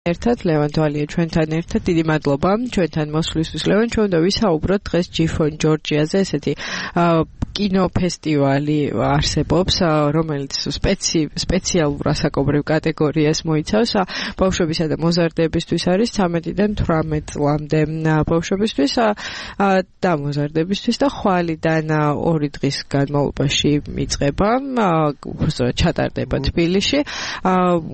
ერთად ლევან თვალია ჩვენთან ერთად დიდი მადლობა ჩვენთან მოსვლისთვის ლევან ჩვენ და ვისაუბროთ დღეს G4 ჯორჯიაზე ესეთი კინოფესტივალი არსებობს რომელიც სპეციალურ ასაკობრივ კატეგორიას მოიცავს ბავშვებისა და მოზარდებისთვის არის 13-დან 18 წლამდე ბავშვებისთვის და მოზარდებისთვის და ხვალიდან 2 დღის განმავლობაში იწყება ჩატარდება თბილისში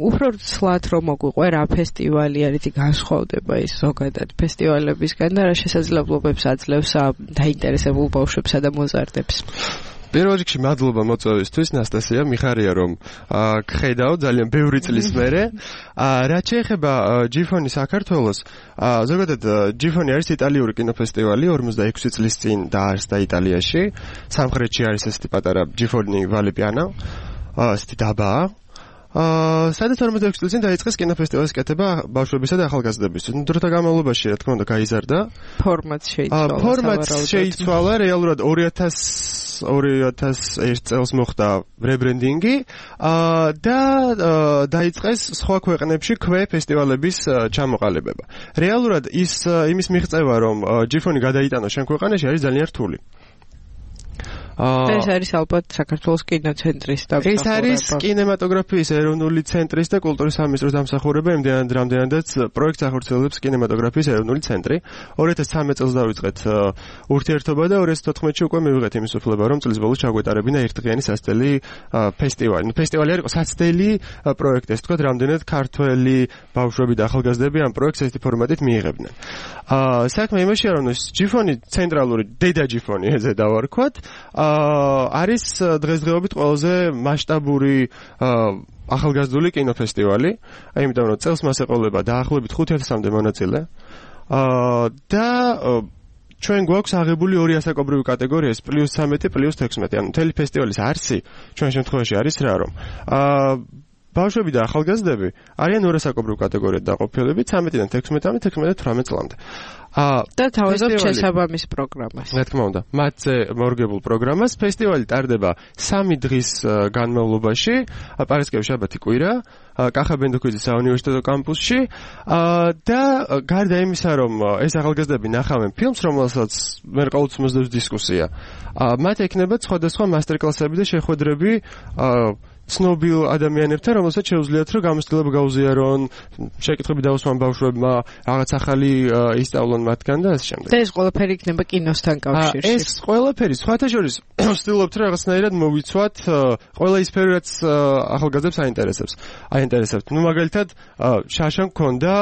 უფრო ცლად რომ მოგვიყვე რა ფესტივალი არის განსხვავდება ის ზოგადად ფესტივალებისგან და რა შესაძლებლობებს აძლევს დაინტერესებულ ბავშვებსა და მოზარდებს პირველ რიგში მადლობა მოწვევისთვის ნასტასია მიხარია რომ გხედავ ძალიან ბევრი წლის მერე რაც შეეხება G4 საქართველოს ზოგადად G4 არის იტალიური კინოფესტივალი 46 წლის წინ დაარსდა იტალიაში სამხრეთში არის ესეთი პატარა G4 Vale Piana ესეთი დაბაა სადაც 46 წელს წინ დაიწყეს კინოფესტივალის კეთება ბავშვებისა და ახალგაზრდებისთვის. დროთა განმავლობაში, რა თქმა უნდა, გაიზარდა. ფორმატ შეიცვალა, რეალურად 2001 წელს მოხდა რებრენდინგი და დაიწყეს სხვა ქვეყნებში ფესტივალების ჩამოყალიბება. რეალურად იმის მიღწევა, რომ G4 გადაიტანოს შენ ქვეყანაში არის ძალიან რთული. ეს არის ალბათ საქართველოს კინოცენტრის და ეს არის კინემატოგრაფიის ეროვნული ცენტრის და კულტურის სამინისტროს დამსახურება იმდენად რამდენადაც პროექტს ახორციელებს კინემატოგრაფიის ეროვნული ცენტრი 2013 წელს დავიწყეთ ურთიერთობა და 2014-ში უკვე მივიღეთ იმის უფლება რომ წლის ბოლოს ჩაგვეტარებინა ერთდღიანი სასწრაფო ფესტივალი. ფესტივალი არის სასწრაფო პროექტი, ეს თქვა რამდენად ქართველი ბავშვები და ახალგაზრდები ამ პროექტს ესეთი ფორმატით მიიღებდნენ. საქმე იმაშია რომ G4 ცენტრალური დედა G4 ეზე დავარქვათ არის დღესდღეობით ყველაზე მასშტაბური ახალგაზრდული კინოფესტივალი, იმიტომ რომ წელს მას ეყოლება დაახლოებით 5000-მდე მონაწილე. და ჩვენ გვაქვს აღებული ორი ასაკობრივი კატეგორია, +13 +16. ანუ მთელი ფესტივალის არსი ჩვენ შემთხვევაში არის რა რომ ბავშვები და ახალგაზრდები არიან ორ ასაკობრივ კატეგორიად დაყოფილები 13-დან 16-მდე, 16-დან 18 წლამდე. და თავაზობ შესაბამის პროგრამას. რა თქმა უნდა, მათზე მორგებულ პროგრამას ფესტივალი ტარდება 3 დღის განმავლობაში, პარასკევი, შაბათი, კვირა, კახაბენდოქვიძის საუნივერსიტეტო კამპუსში და გარდა იმისა, რომ ეს ახალგაზრდები ნახავენ ფილმს, რომელსაც მე ყოველთვის მოსდევს დისკუსია, მათ ექნებათ სხვადასხვა მასტერკლასები და შეხვედრები ცნობილ ადამიანებთან, რომელსაც შეუძლიათ რომ გამოცდილება გაუზიარონ, შეკითხვები დაუსვან ბავშვებმა, რაღაც ახალი ისწავლონ მათგან და ასე შემდეგ. და ეს ყველაფერი იქნება კინოსთან კავშირში. ეს ყველაფერი სხვათა შორის ვცდილობთ რომ რაღაცნაირად მოვიცვათ ყველა ის სფერო, რაც ახალგაზრდებს აინტერესებს. ნუ მაგალითად, შაშან გქონდა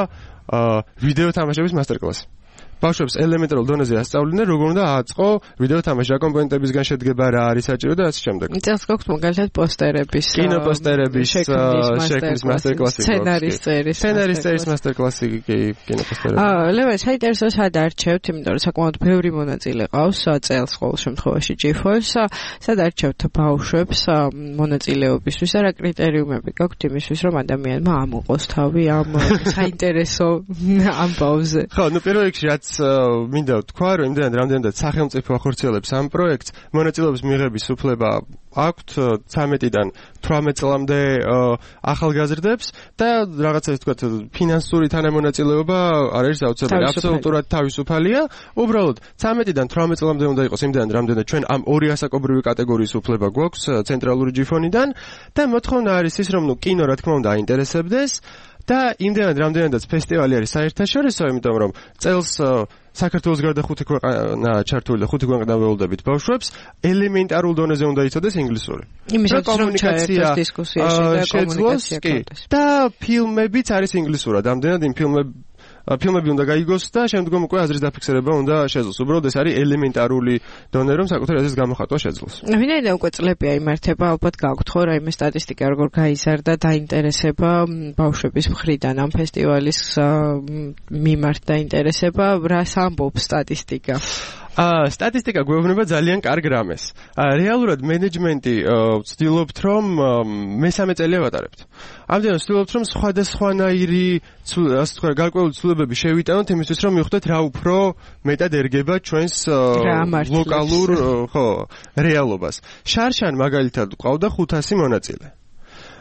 ვიდეო თამაშების მასტერკლასი. ბავშვებს ელემენტარულ დონეზე ასწავლიდნენ, როგორ უნდა აწყო ვიდეო თამაში, რა კომპონენტებისგან შედგება, რა არის საჭირო და ასე შემდეგ. წელს გვაქვს მაგალითად პოსტერების, კინოპოსტერების შექმნის მასტერკლასი, სცენარის წერის მასტერკლასი, კინოპოსტერები. ლევან, საინტერესო სად არჩევთ, იმიტომ რომ საკმაოდ ბევრი მონაწილე ყავს წელს ყოველ შემთხვევაში G4-ს, სად არჩევთ ბავშვებს მონაწილეობისთვის და რა კრიტერიუმები გაქვთ იმისთვის, რომ ადამიანმა ამოყოს თავი ამ საინტერესო ამბავზე? ხო, ნუ პირველ რიგში რაც მინდა ვთქვა, რომ იმდენად რამდენადაც სახელმწიფო ახორციელებს ამ პროექტს, მონაწილეობის მიღების უფლება აქვთ 13-დან 18 წლამდე ახალგაზრდებს და რაღაცა ის ვთქვათ, ფინანსური თანამონაწილეობა არ არის აუცილებელი, აბსოლუტურად თავისუფალია. უბრალოდ 13-დან 18 წლამდე უნდა იყოს იმდენად რამდენად ჩვენ ამ ორი ასაკობრივი კატეგორიის უფლება გვაქვს ცენტრალური G4-დან და მოთხოვნა არის ის, რომ კინო რა თქმა უნდა აინტერესებდეს. და იმდენად რამდენადაც ფესტივალი არის საერთაშორისო, იმიტომ რომ წელს საქართველოს გარდა 5 ქვეყანა ჩართული და 5 ქვეყანა ველოდებით ბავშვებს ელემენტარულ დონეზე უნდა იცოდეს ინგლისური. იმისაც რომ ჩაერთოს დისკუსიაში და კომუნიკაცია გქონდეს. და ფილმებიც არის ინგლისურად. ამდენად იმ ფილმები უნდა გაიგოს და შემდგომ უკვე აზრის დაფიქსირება უნდა შეძლოს. უბრალოდ ეს არის ელემენტარული დონე, რომ საკუთარ აზრის გამოხატვა შეძლოს. ვინაიდან უკვე წლებია იმართება, ალბათ გაქვთ ხო რაიმე სტატისტიკა, როგორ გაიზარდა დაინტერესება ბავშვების მხრიდან ამ ფესტივალის მიმართ დაინტერესება, რას ამბობს სტატისტიკა? სტატისტიკა გვეუბნება ძალიან კარგ რამეს. რეალურად მენეჯმენტი ვცდილობთ, რომ მესამე წელია ვატარებთ. ამდენად ვცდილობთ, რომ სხვადასხვანაირი ასე თქვა გარკვეული ცვლილებები შევიტანოთ იმისთვის, რომ მივხვდეთ რა უფრო მეტად ერგება ჩვენს ლოკალურ რეალობას. შარშან მაგალითად ყავდა 500 მონაწილე.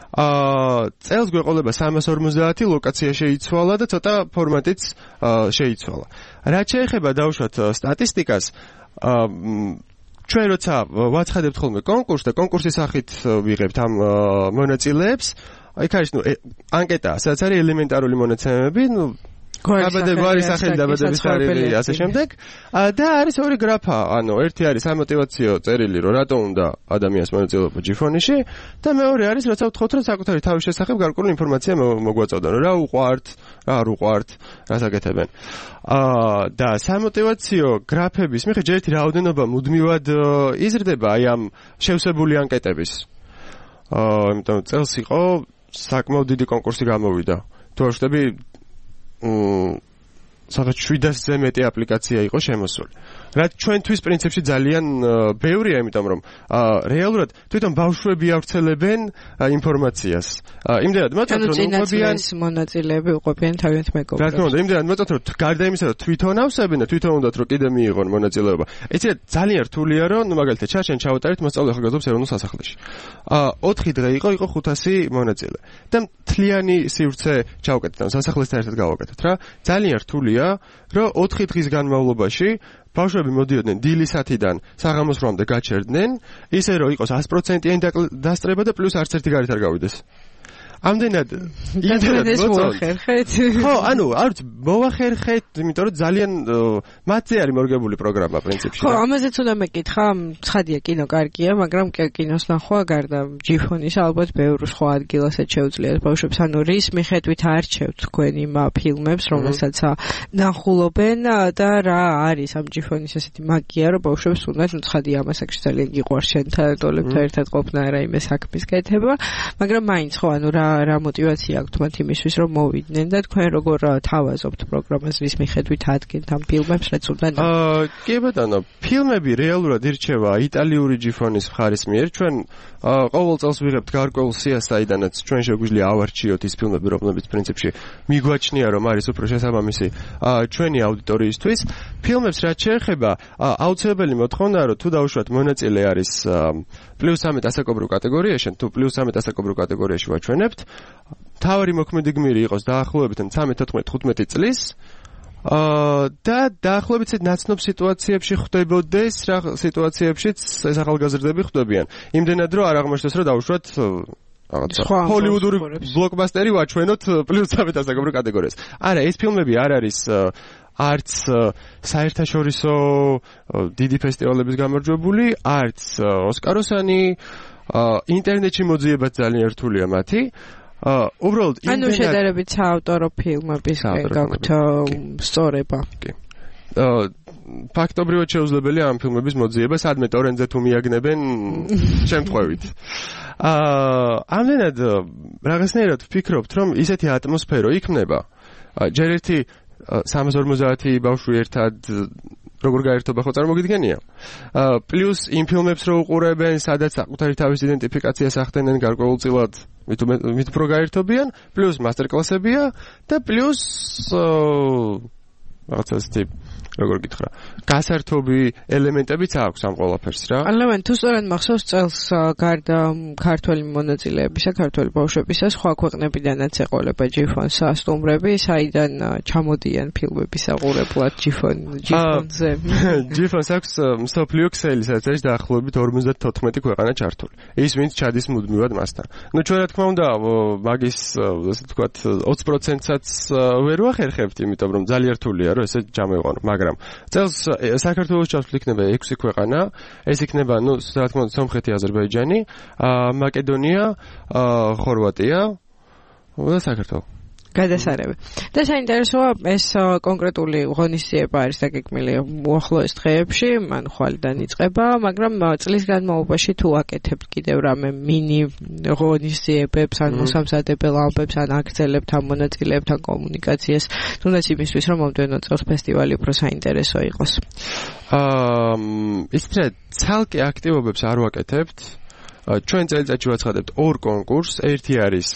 წელს გვეყოლება 350 ლოკაცია შეიცვალა და ცოტა ფორმატიც შეიცვალა. რაც შეეხება დავუშვათ სტატისტიკას, ჩვენ როცა ვაცხადებთ ხოლმე კონკურსს და კონკურსის სახით ვიღებთ ამ მონაწილეებს, იქ არის ანკეტა, სადაც არის ელემენტარული მონაცემები, დაბადების სახელი, დაბადების თარიღი, ასე შემდეგ. და არის ორი გრაფა, ერთი არის სამოტივაციო წერილი, რომ რატომ უნდა ადამიანს მონაწილეობა ჯიფონიში და მეორე არის, როცა ვთხოვთ, რომ საკუთარი თავის შესახებ გარკვეული ინფორმაცია მოგვაწოდონ, რა უყვართ, რა არ უყვართ, რას აკეთებენ. და სამოტივაციო გრაფების მიხედვით ერთი რაოდენობა მუდმივად იზრდება აი ამ შევსებული ანკეტების. იმიტომ წელს იყო საკმაოდ დიდი კონკურსი გამოვიდა. თუ არ ვშტები სადაც 700-ზე მეტი აპლიკაცია იყო შემოსული. რაც ჩვენთვის პრინციპში ძალიან ბევრია, იმიტომ რომ რეალურად თვითონ ბავშვები ავრცელებენ ინფორმაციას. იმდენად მოწონთ რომ უყვებიან მონაწილეები უყვებიან თავიანთ მეგობრებს. რა თქმა უნდა, იმდენად მოწონთ რომ გარდა იმისა რომ თვითონ ავსებენ და თვითონ უნდათ რომ კიდე მიიღონ მონაწილეობა. ეცეთ ძალიან რთულია რომ მაგალითად ჩარჩენ ჩავატარეთ მოსწავლე ახალგაზრდობის ეროვნულ სასახლეში. 4 დღე იყო 500 მონაწილე. და მთლიანი სივრცე ჩავკეთეთ, სასახლესთან ერთად გავაკეთეთ რა. ძალიან რთულია რომ 4 დღის განმავლობაში ბავშვები მოდიოდნენ დილისათიდან საღამოს 8-მდე გაჩერდნენ, ისე რომ იყოს 100%-იანი დასწრება და პლუს არც ერთი გარეთ არ გავიდეს. ამდენად მოახერხეთ. ხო, არ ვიცი, მოახერხეთ, იმიტომ რომ ძალიან მათზე არის მორგებული პროგრამა პრინციპში. ხო, ამაზეც უნდა მეკითხა, ცხადია კინო კარგია, მაგრამ კინოს ნახვა გარდა ჯიფონის ალბათ ბევრ სხვა ადგილასაც შეუძლიათ ბავშვებს, რის მიხედვით არჩევთ თქვენ იმ ფილმებს, რომელსაც ნახულობენ და რა არის ამ ჯიფონის ესეთი მაგია, რომ ბავშვებს უნდათ, ცხადია ამას აქ ძალიან გიყვარს შენთან დოლებთან ერთად ყოფნა რა იმე საქმის კეთება, მაგრამ მაინც ხო, რა мотивация აქვს მათ იმისთვის რომ მოვიდნენ და თქვენ როგორ თავაზობთ პროგრამას რის მიხედვით ადგენთ ამ ფილმებს რაც უნდა კი ბატონო ფილმები რეალურად ირჩევა იტალიური ჯიფონის მხარის მიერ ჩვენ ყოველ წელს ვიღებთ გარკვეულ სიას საიდანაც ჩვენ შეგვიძლია ავარჩიოთ ის ფილმები რომლებიც პრინციპში მიგვაჩნია რომ არის უფრო შესაბამისი ჩვენი აუდიტორიისთვის ფილმებს რაც შეეხება აუცილებელი მოთხოვნაა რომ თუ დაუშვათ მონაწილე არის +13 ასაკობრივ კატეგორიაში თუ +13 ასაკობრივ კატეგორიაში ვაჩვენებთ თავარი მოქმედი გმირი იყოს დაახლოებით 13-14-15 წლის და დაახლოებით ნაცნობ სიტუაციებში ხვდებოდეს რა სიტუაციებშიც ეს ახალგაზრდები ხვდებიან იმდენად რომ არ აღმოჩნდეს რომ დაუშვათ ჰოლივუდური ბლოკბასტერი ვაჩვენოთ +13 ასაკობრივ კატეგორიას არა ეს ფილმები არ არის არც საერთაშორისო დიდი ფესტივალების გამარჯვებული არც ოსკაროსანი ინტერნეტში მოძიებაც ძალიან რთულია მათი უბრალოდ ანუ შედარებით საავტორო ფილმების გაქვთ სწორება კი ფაქტობრივად შეუძლებელია ამ ფილმების მოძიება სადმე ტორენტზე თუ მიაგნებენ შემთხვევით ამდენად რაღაცნაირად ვფიქრობთ რომ ისეთი ატმოსფერო იქმნება ჯერ ერთი 350 ბავშვი ერთად როგორ გაერთობა ხო წარმოგიდგენია პლუს იმ ფილმებს რო უყურებენ სადაც საკუთარი თავის იდენტიფიკაციას ახდენენ გარკვეულწილად მით უფრო გაერთობიან პლუს მასტერკლასებია და პლუს რაღაცა ისეთი როგორ გითხრა გასართობი ელემენტებიც აქვს ამ ყველაფერს რა ალევან თუ სწორად მახსოვს წელს გარდა ქართველი მონაწილეებისა ქართველი ბავშვებისა სხვა ქვეყნებიდანაც ეყოლება ჯიფონს სტუმრები საიდან ჩამოდიან ფილმების აყურებლად ჯიფონზე ჯიფონს აქვს მსოფლიო ქსელი სადაც არის დაახლოებით 54 ქვეყანა ჩართული ის ვინც ჩადის მუდმივად მასთან ნუ ჩვენ რა თქმა უნდა მაგის ასე ვთქვათ 20%-საც ვერ ვახერხებთ იმიტომ რომ ძალიან რთულია რომ ესე ჩამოიყვანო მაგრამ წელს საქართველოს ჩასვლით იქნება 6 ქვეყანა ეს იქნება ნუ რა თქმა უნდა სომხეთი აზერბაიჯანი მაკედონია ხორვატია და საქართველო გადასარევი. და საინტერესოა ეს კონკრეტული ღონისძიება არის დაგეგმილი უახლოეს დღეებში, მან ხვალიდან იწყება, მაგრამ წლის განმავლობაში თუ აკეთებთ კიდევ რამე მინი ღონისძიებებს, ან მოსამზადებელ ამბებს, ან აგრძელებთ ამ მონაწილეებთან კომუნიკაციას, თუნდაც იმისთვის, რომ მომდევნო წელს ფესტივალი უფრო საინტერესო იყოს. ისეთ ცალკე აქტივობებს არ ვაკეთებთ. ჩვენ წელიწადში ვაცხადებთ ორ კონკურსს, ერთი არის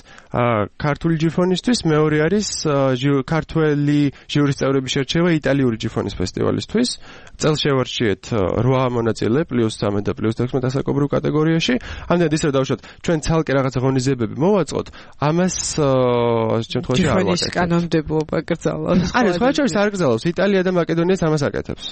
ქართული ჯიფონისთვის, მეორე არის ქართველი ჟიურის წევრების შერჩევა იტალიური ჯიფონის ფესტივალისთვის. წელს შევარჩიეთ 8 მონაწილე +13 და +16 ასაკობრივ კატეგორიაში. ამდენად ისე დავუშვათ, ჩვენ ცალკე რაღაცა ღონისძიებები მოვაწყოთ, ამას შემთხვევაში არ ვაკეთებთ. ჯიფონის კანონმდებლობა გრძელავს. არა, სხვა შორის არ გრძელავს. იტალია და მაკედონიაც ამას აკეთებს.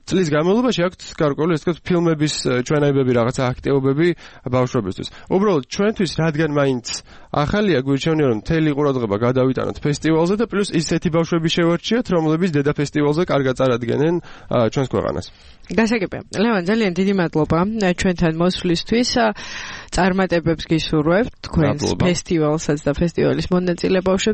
წლის განმავლობაში აქვთ გარკვეული ესე ვთქვათ ფილმების ჩვენაებები რაღაცა აქტივობები ბავშვებისთვის. უბრალოდ ჩვენთვის რადგან მაინც ახალია გვირჩევნია რომ მთელი ყურადღება გადავიტანოთ ფესტივალზე და პლუს ისეთი ბავშვები შევარჩიოთ რომლებიც დედა ფესტივალზე კარგად წარადგენენ ჩვენს ქვეყანას. გასაგებია. ლევან, ძალიან დიდი მადლობა ჩვენთან მოსვლისთვის. წარმატებებს გისურვებთ თქვენს ფესტივალსაც და ფესტივალის მონაწილე ბავშვებს.